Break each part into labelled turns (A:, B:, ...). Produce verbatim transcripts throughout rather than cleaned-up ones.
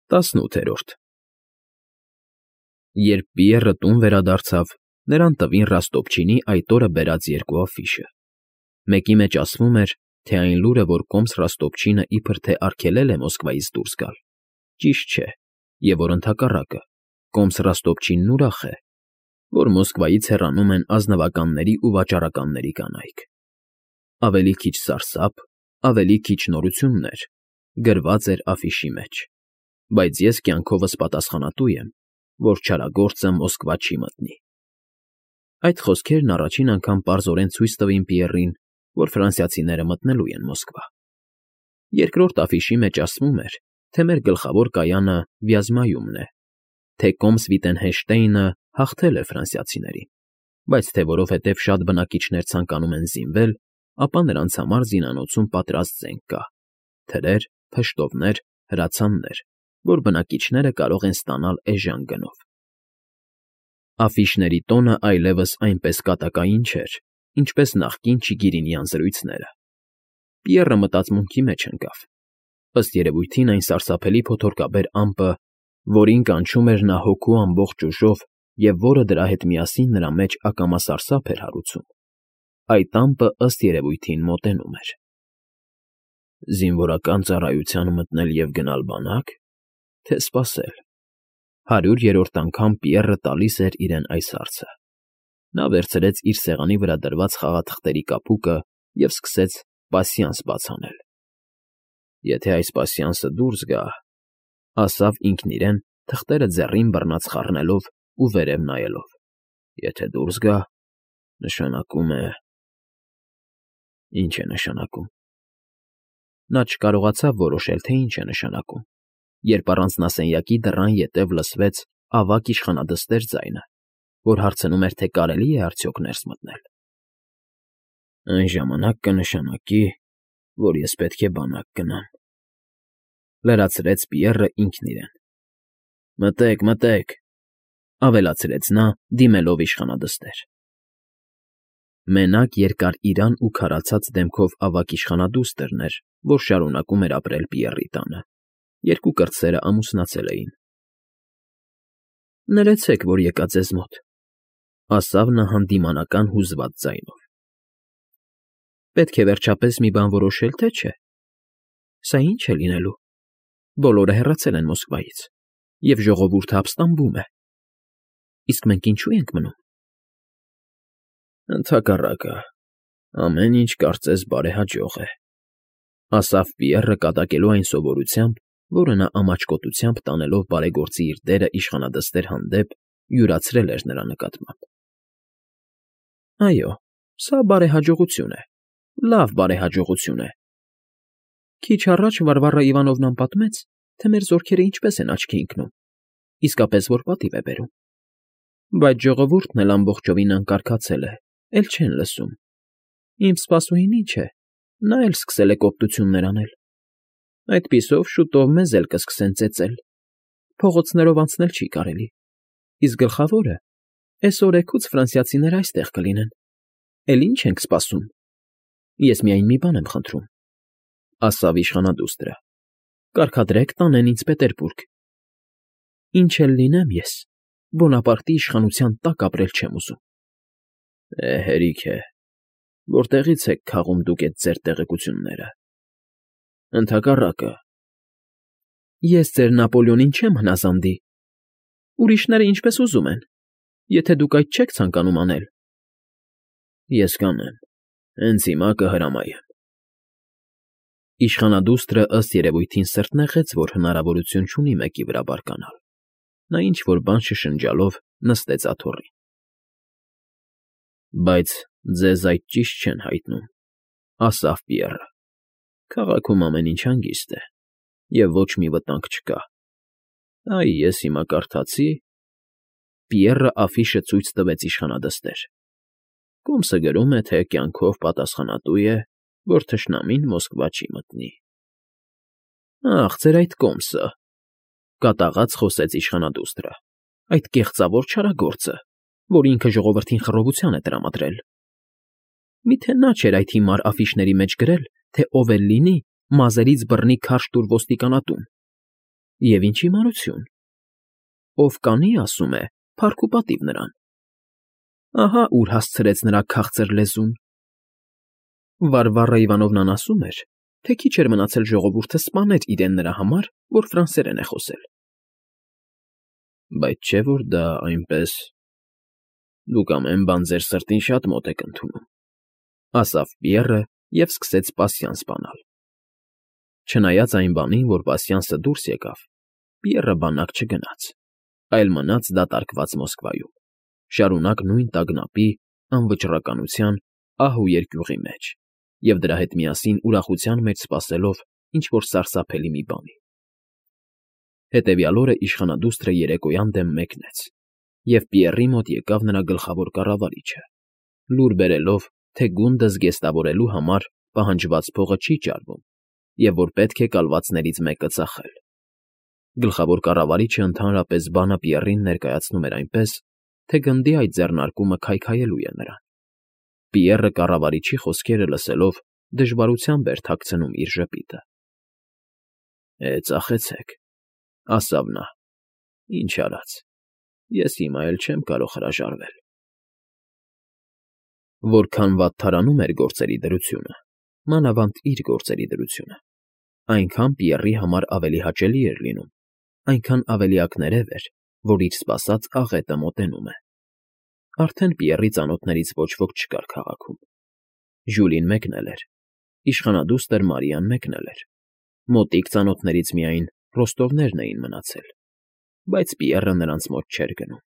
A: ՏԱՍՆՈՒԹԵՐՈՐԴ Երբ Պիեռը տուն վերադարձավ, նրան տվին Ռաստոպչինի այդ օրը բերած երկու աֆիշը. մեկի մեջ ասվում էր, թե այն լուրը, որ կոմս Ռաստոպչինը իբր թե արգելել է Մոսկվայից դուրս գալ, ճիշտ չէ, և որ ընդհակառակը, կոմս Ռաստոպչինն ուրախ է, որ Մոսկվայից հեռանում են ազնվականների ու վաճառականների կանայք։ Ավելի քիչ սարսափ, ավելի քիչ նորություններ, գրված էր աֆիշի մեջ, բայց ես կյանքովս պատասխանատու եմ, որ չարագործը Մոսկվա չի մտնի։ Այդ խոսքերն առաջին անգամ պարզորեն ցույց տվին Պիեռին, որ ֆրանսիացիները մտնելու են Մոսկվա։ Երկրորդ աֆիշի մեջ ասվում էր, թե մեր գլխավոր կայանը Վյազմայումն է, թե կոմս Վիտենհեշտեյնը հաղթել է ֆրանսիացիներին, բայց թե որովհետև շատ բնակիչներ ցանկանում են զինվել, ապա նրանց համար զինանոցում պատրաստ զենք կա՝ թրեր, փշտովներ, հրացաններ, որ բնակիչները կարող են ստանալ էժան գնով։ Աֆիշների տոնը այլևս այնպես կատակային չէր, ինչպես նախկին Չիգիրինյան զրույցները։ Պիեռը մտածմունքի մեջ ընկավ։ Ըստ երևույթին այն սարսափելի փոթորկաբեր ամպը, որին կանչում էր նա հոգու ամբողջ ուժով և որը դրա հետ միասին նրա մեջ ակամա սարսափ էր հարուցում, այդ ամպը ըստ երևույթին մոտենում էր։ Զինվորական ծառայության մտնել և գնալ բանա՞կ, թե սպասել։ Հարյուր երրորդ անգամ Պիեռը տալիս էր իրեն այս հարցը։ Նա վերցրեց իր սեղանի վրա դրված խաղաթղթերի կապուկը և սկսեց պասյանս բաց անել։ Եթե այս պասյանսը դուրս գա, ասավ ինքն իրեն, թղթերը ձեռին բռնած խառնելով ու վերև նայելով, եթե դուրս գա, նշանակում է… Ինչ է նշանակում։ Նա չկարողացավ որոշել, թե ինչ է նշանակում, երբ առանց նասենյակի դռան ետև լսվեց ավագ իշխանադստեր ձայնը, որ հարցնում էր, թե կարելի է արդյոք ներս մտնել։ Այն ժամանակ կնշանակի, որ ես պետք է բանակ գնամ,֊ լրացրեց Պիեռը ինքն իրեն։ Մտե՛ք, մտե՛ք,֊ ավելացրեց նա, դիմելով իշխանադստեր։ Մենակ երկար իրան ու քարացած դեմքով ավագ իշխանադուստրն էր, որ շարունակում էր ապրել Պիեռի տանը, երկու կրտսերն ամուսնացել էին։ Ներեցեք, որ եկա ձեզ մոտ,֊ ասավ նա հանդիմանական հուզված ձայնով։ Պետք է վերջապես մի բան որոշել, թե չէ։ Սա ի՞նչ է լինելու։ Բոլորը հեռացել են Մոսկվայից, և ժողովուրդը ապստամբում է։ Իսկ մենք ինչո՞ւ ենք մնում։ Ընդհակառակը, ամեն ինչ կարծես բարեհաջող է,֊ ասավ Պիեռը կատակելու այն սովորությամբ, որը նա ամաչկոտությամբ տանելով բարեգործի իր դերը իշխանադստեր հանդեպ յուրացրել էր նրա նկատմամբ։ Այո, սա բարեհաջողություն է, լավ բարեհաջողություն է։ Քիչ առաջ Վարվարա Իվանովնան պատմեց, թե մեր զորքերը ինչպես են աչքի ընկնում, իսկապես որ պատիվ է բերում։ Բայց ժողովուրդն էլ ամբողջովին անկարգացել է, էլ չեն լսում։ Իմ սպասուհին ինչ է, նա էլ սկսել է կոպտություններ անել։ Այդպիսով շուտով մեզ էլ կսկսեն ծեծել, փողոցներով անցնել չի կարելի, իսկ գլխավորը, էս օրեքուց ֆրանսիացիները այստեղ կլինեն, էլ ինչ ենք սպասում։ Ես միայն մի բան եմ խնդրում,֊ ասավ իշխանադուստրը, կարգադրեք տանեն ինձ Պետերբուրգ։ Ինչ էլ լինեմ ես, Բոնապարտի իշխանության տակ ապրել չեմ ուզում։ Է, հերիք է, որտեղի՞ց եք քաղում դուք էդ ձեր տեղեկությունները։ Ընդհակառակը, ես ձեր Նապոլեոնին չեմ հնազանդի։ Ուրիշները ինչպես ուզում են, եթե դուք այդ չեք ցանկանում անել։ Ես կանեմ, հենց հիմա կհրամայեմ։ Իշխանադուստրը ըստ երևույթին սրտնեղեց, որ հնարավորություն չունի մեկի վրա բարկանալ։ Նա ինչ֊որ բան շշնջալով նստեց աթոռին։ Բայց ձեզ այդ ճիշտ չեն հայտնում,֊ ասավ Պիեռը։ Քաղաքում ամեն ինչ հանգիստ է, և ոչ մի վտանգ չկա։ Այ ես հիմա կարդացի… Պիեռը աֆիշը ցույց տվեց իշխանադստեր։ Կոմսը գրում է, թե կյանքով պատասխանատու է, որ թշնամին Մոսկվա չի մտնի։ Ախ, ձեր այդ կոմսը,֊ կատաղած խոսեց իշխանադուստրը, այդ կեղծավոր չարագործը, որ ինքը ժողովրդին խռովության է տրամադրել։ Միթե նա չէր այդ հիմար աֆիշների մեջ գրել, թե ով էլ լինի, մազերից բռնի քարշ տուր ոստիկանատուն։ Եվ ինչ հիմարություն։ Ով կանի, ասում է, փառք ու պատիվ նրան։ Ահա ուր հասցրեց նրա քաղցր լեզուն։ Վարվառա Իվանովնան ասում էր, թե քիչ էր մնացել ժողովուրդը սպաներ իրեն նրա համար, որ ֆրանսերեն է խոսել։ Բայց չէ՞ որ դա այնպես… Դուք ամեն բան ձեր սրտին շատ մոտ եք ընդունում, ասավ Պիեռը և սկսեց պասյանս բանալ։ Չնայած այն բանին, որ պասյանսը դուրս եկավ, Պիեռը բանակ չգնաց, այլ մնաց դատարկված Մոսկվայում, շարունակ նույն տագնապի, անվճռականության, ահ ու երկյուղի մեջ և դրա հետ միասին ուրախության մեջ սպասելով ինչ֊որ սարսափելի մի բանի։ Հետևյալ օրը իշխանադուստրը երեկոյան դեմ մեկնեց, և Պիեռի մոտ եկավ նրա գլխավոր կառավարիչը, լուր բերելով, թե գունդը զգեստավորելու համար պահանջված փողը չի ճարվում և որ պետք է կալվածներից մեկը ծախել։ Գլխավոր կառավարիչը ընդհանրապես բանը Պիեռին ներկայացնում էր այնպես, թե գնդի այդ ձեռնարկումը քայքայելու է նրան։ Պիեռը կառավարիչի խոսքերը լսելով դժվարությամբ էր թաքցնում իր ժպիտը։ Է, ծախեցեք, ասավ նա, ինչ արած, ես հիմա էլ չեմ կարող հրաժարվել։ Որքան վատթարանում էր գործերի դրությունը, մանավանդ իր գործերի դրությունը, այնքան Պիեռի համար ավելի հաճելի էր լինում, այնքան ավելի ակներև էր, որ իր սպասած աղետը մոտենում է։ Արդեն Պիեռի ծանոթներից ոչ ոք չկար քաղաքում։ Ժյուլին մեկնել էր, իշխանադուստր Մարիան մեկնել էր, մոտիկ ծանոթներից միայն Ռոստովներն էին մնացել, բայց Պիեռը նրանց մոտ չէր գնում։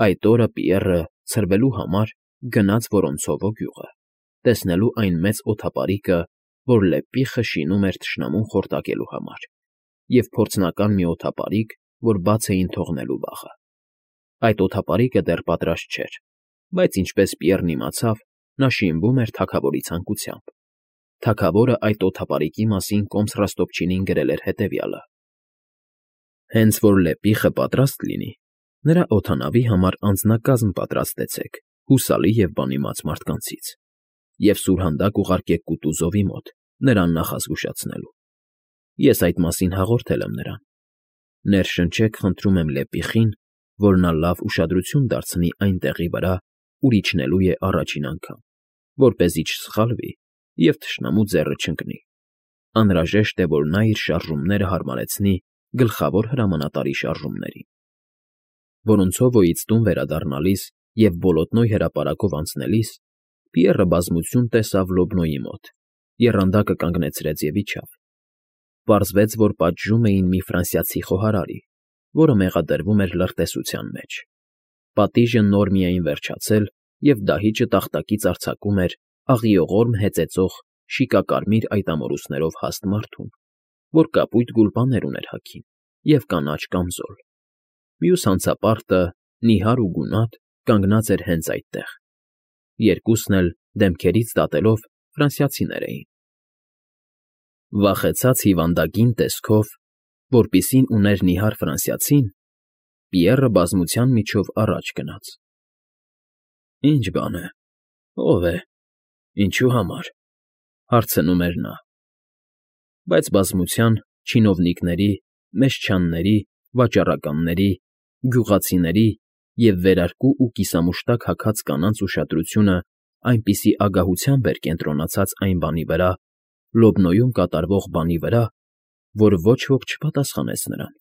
A: Այդ օրը Պիեռը, ցրվելու համար, գնաց Վորոնցովո գյուղը, տեսնելու այն մեծ օդապարիկը, որ Լեպիխը շինում էր թշնամուն խորտակելու համար, և փորձնական մի օդապարիկ, որ բաց էին թողնելու վաղը։ Այդ օդապարիկը դեռ պատրաստ չէր, բայց ինչպես Պիեռն իմացավ, նա շինվում էր թագավորի ցանկությամբ։ Թագավորը այդ օդապարիկի մասին կոմս Ռոստովչինին գրել էր հետևյալը. Հենց որ Լեպիխը պատրաստ լինի, նրա օդանավի համար անձնակազմ պատրաստեցեք հուսալի և բանիմաց մարդկանցից և սուրհանդակ ուղարկեք Կուտուզովի մոտ, նրան նախազգուշացնելու։ Ես այդ մասին հաղորդել եմ նրան։ Ներշնչեք, խնդրում եմ Լեպիխին, որ նա լավ ուշադրություն դարձնի այն տեղի վրա, ուր իջնելու է առաջին անգամ, որպեսզի չսխալվի և թշնամու ձեռը չընկնի։ Անհրաժեշտ է, որ նա իր շարժումները հարմարեցնի գլխավոր հրամանատարի շարժումներին։ Վորոնցովոյից տուն վերադառնալիս և Բոլոտնոյ հրապարակով անցնելիս Պիեռը բազմություն տեսավ Լոբնոյի մոտ, եռանդակը կանգնեցրեց և իջավ։ Պարզվեց, որ պատժում էին մի ֆրանսիացի խոհարարի, որը մեղադրվում էր լրտեսության մեջ։ Պատիժը նոր միայն վերջացել, և դահիճը տախտակից արձակում էր աղիողորմ հեծեծող շիկակարմիր այտամորուսներով հաստ մարդուն, որ կապույտ գուլպաներ ուներ հագին և կանաչ կամզոլ։ Մյուս հանցապարտը, նիհար ու գունատ, կանգնած էր հենց այդտեղ։ Երկուսն էլ, դեմքերից դատելով, ֆրանսիացիներ էին։ Վախեցած հիվանդագին տեսքով, որպիսին ուներ նիհար ֆրանսիացին, Պիեռը բազմության միջով առաջ գնաց։ Ի՞նչ բան է, ո՞վ է, ինչու համար, հարցնում էր նա։ Բայց բազմության, չինովնիկների, մեշչանների, վաճառականների, գյուղացիների և վերարկու ու կիսամուշտակ հագած կանանց ուշադրությունը այնպիսի ագահությամբ էր կենտրոնացած այն բանի վրա, Լոբնոյում կատարվող բանի վրա, որ ոչ ոք չպատասխանեց նրան։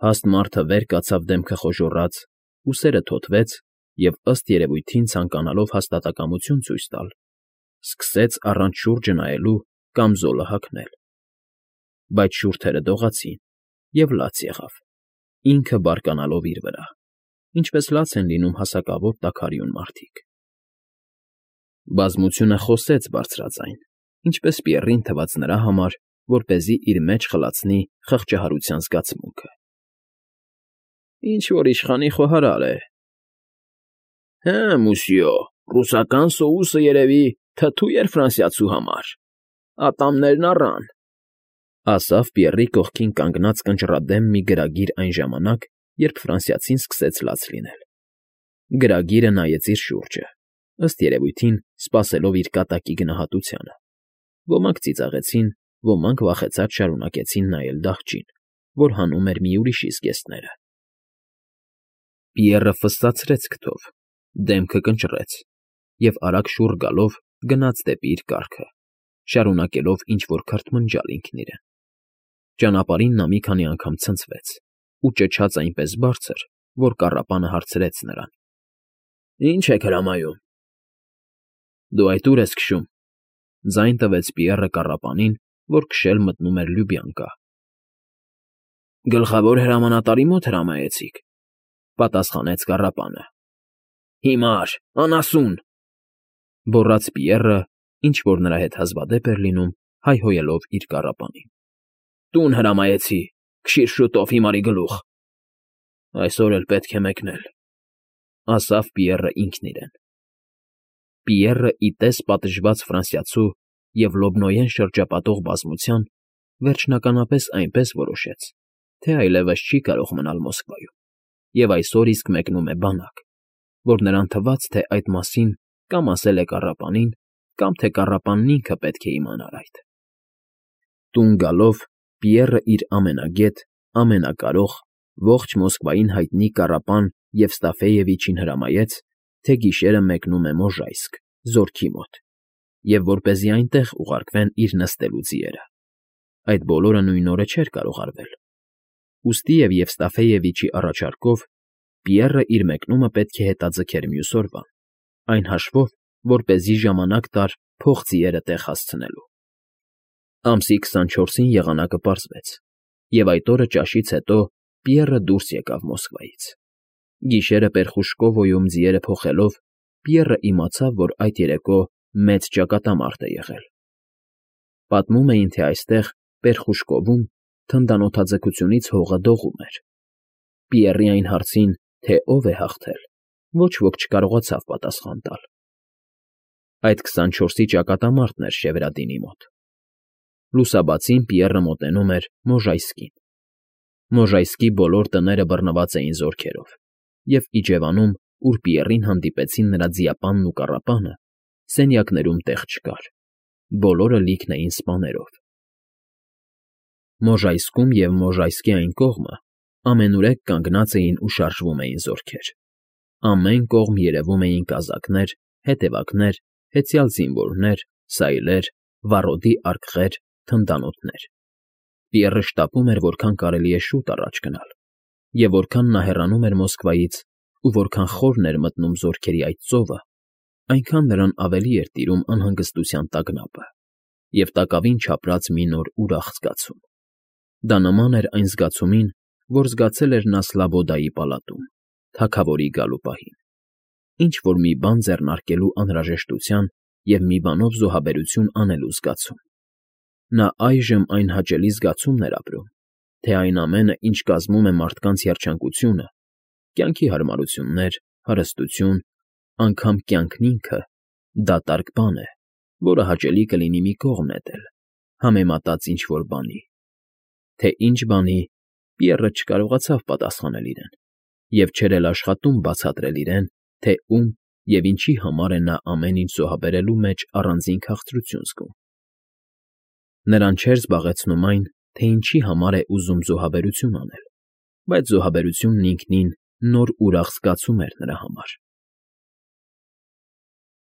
A: Հաստ մարդը վեր կացավ դեմքը խոժոռած, ուսերը թոթվեց և, ըստ երևույթին ցանկանալով հաստատակամություն ցույց տալ, սկսեց առանց շուրջը նայելու կամզոլը հագնել։ Բայց շուրթերը դողացին, և լաց եղավ, ինքը բարկանալով իր վրա, ինչպես լաց են լինում հասակավոր տաքարյուն մարդիկ։ Բազմությունը խոսեց բարձրաձայն, ինչպես Պիեռին թվաց նրա համար, որպեսզի իր մեջ խլացնի խղճահարության զգացմունքը։ Ինչ֊որ իշխանի խոհարար է։ Հը, մուսյո, ռուսական սոուսը, երևի, թթու էր ֆրանսիացու համար, ատամներն առան, ասավ Պիեռի կողքին կանգնած կնճռադեմ մի գրագիր այն ժամանակ, երբ ֆրանսիացին սկսեց լաց լինել։ Գրագիրը նայեց իր շուրջը, ըստ երևույթին սպասելով իր կատակի գնահատությանը։ Ոմանք ծիծաղեցին, ոմանք վախեցած շարունակեցին նայել դահջին, որ հանում էր մի ուրիշի զգեստները։ Պիեռը ֆսսացրեց քթով, դեմքը կնճռեց և արագ շուռ գալով գնաց դեպի իր կառքը, շարունակելով ինչ֊որ քրթմնջալ ինքն իրեն։ Ճանապարհին նա մի քանի անգամ ցնցվեց ու ճչաց այնպես բարձր, որ կառապանը հարցրեց նրան. ֊ Ի՞նչ եք հրամայում։ ֊ Դու այդ ու՞ր ես քշում,֊ ձայն տվեց Պիեռը կառապանին, որ քշել մտնում էր Լյուբյանկա։ ֊ Գլխավոր հրամանատարի մոտ հրամայեցիք,֊ պատասխանեց կառապանը։ ֊ Հիմար, անասուն,֊ գոռաց Պիեռը, ինչ֊որ նրա հետ հազվադեպ էր լինում, հայհոյելով իր կառապանին։ ֊ Տուն հրամայեցի, քշիր շուտով հիմարի գլուխ։ ֊ Այսօր էլ պետք է մեկնել,֊ ասաց Պիեռը ինքն իրեն։ Պիեռը, ի տես պատժված ֆրանսիացու և լոբնոյեն շրջապատող բազմության, վերջնականապես այնպես որոշեց, թե այլևս չի կարող մնալ Մոսկվայում և այսօր իսկ մեկնում է բանակ, որ նրան թվաց, թե այդ մասին կամ ասել է կառապանին, կամ թե կառապանն ինքը պետք է իմանար այդ։ Տուն գալով՝ Պիեռը իր ամենագետ, ամենակարող, ողջ Մոսկվային հայտնի կառապան Եվստաֆեևիչին հրամայեց, թե գիշերը մեկնում է Մոժայսկ, զորքի մոտ, և որպեսզի այնտեղ ուղարկվեն իր նստելու ձիերը։ Այդ բոլորը նույն օրը չէր կարող արվել։ Ուստի և Եվստաֆեևիչի առաջարկով Պիեռը իր մեկնումը պետք է հետաձգեր մյուս օրվան, այն հաշվով, որպեսզի ժամանակ տար փող ձիերը տեղ հասցնելու։ Ամսի քսանչորսին եղանակը պարզվեց, և այդ օրը ճաշից հետո Պիեռը դուրս եկավ Մոսկվայից։ Գիշերը Պերխուշկովոյում ձիերը փոխելով՝ Պիեռը իմացավ, որ այդ երեկո մեծ ճակատամարտ է եղել։ Պատմում էին, թե այստեղ, Պերխուշկովում, թնդանոթաձգությունից հողը դողում էր։ Պիեռի այն հարցին, թե ով է հաղթել, ոչ ոք չկարողացավ պատասխան տալ։ Այդ քսանչորսի ճակատամարտն էր Շևրադինի մոտ։ Լուսաբացին Պիեռը մոտենում էր Մոժայսկին։ Մոժայսկի բոլոր տները բռնված էին զորքերով, և իջևանում, ուր Պիեռին հանդիպեցին նրա ձիապանն ու կառապանը, սենյակներում տեղ չկար, բոլորը լիքն էին սպաներով։ Մոժայսկում և Մոժայսկի այն կողմը ամենուրեք կանգնած էին ու շարժվում էին զորքեր։ Ամեն կողմ երևում էին կազակներ, հետևակներ, հեծյալ զինվորներ, սայլեր, վառոդի արկղեր, թնդանոթներ։ Պիեռը շտապում էր որքան կարելի է շուտ առաջ գնալ, և որքան նա հեռանում էր Մոսկվայից ու որքան խորն էր մտնում զորքերի այդ ծովը, այնքան նրան ավելի էր տիրում անհանգստության տագնապը և տակավին չապրած մի նոր ուրախ զգացում։ Դա նման էր այն զգացումին, որ զգացել էր նա Սլավոդայի պալատում, թագավորի գալու պահին, ինչ֊որ մի բան ձեռնարկելու անհրաժեշտության և մի բանով զոհաբերություն անելու զգացում։ Նա այժմ այն հաճելի զգացումն էր ապրում, թե այն ամենը, ինչ կազմում է մարդկանց երջանկությունը, կյանքի հարմարություններ, հարստություն, անգամ կյանքն ինքը, դատարկ բան է, որը հաճելի կլինի մի կողմ նետել, համեմատած ինչ֊որ բանի։ Թե ինչ բանի, Պիեռը չկարողացավ պատասխանել իրեն, և չէր էլ աշխատում բացատրել իրեն, թե ում և ինչի համար է նա ամեն ինչ զոհաբերելու մեջ առանձին քաղցրություն զգում։ Նրան չէր զբաղեցնում այն, թե ինչի համար է ուզում զոհաբերություն անել, բայց զոհաբերությունն ինքնին նոր ուրախ զգացում էր նրա համար։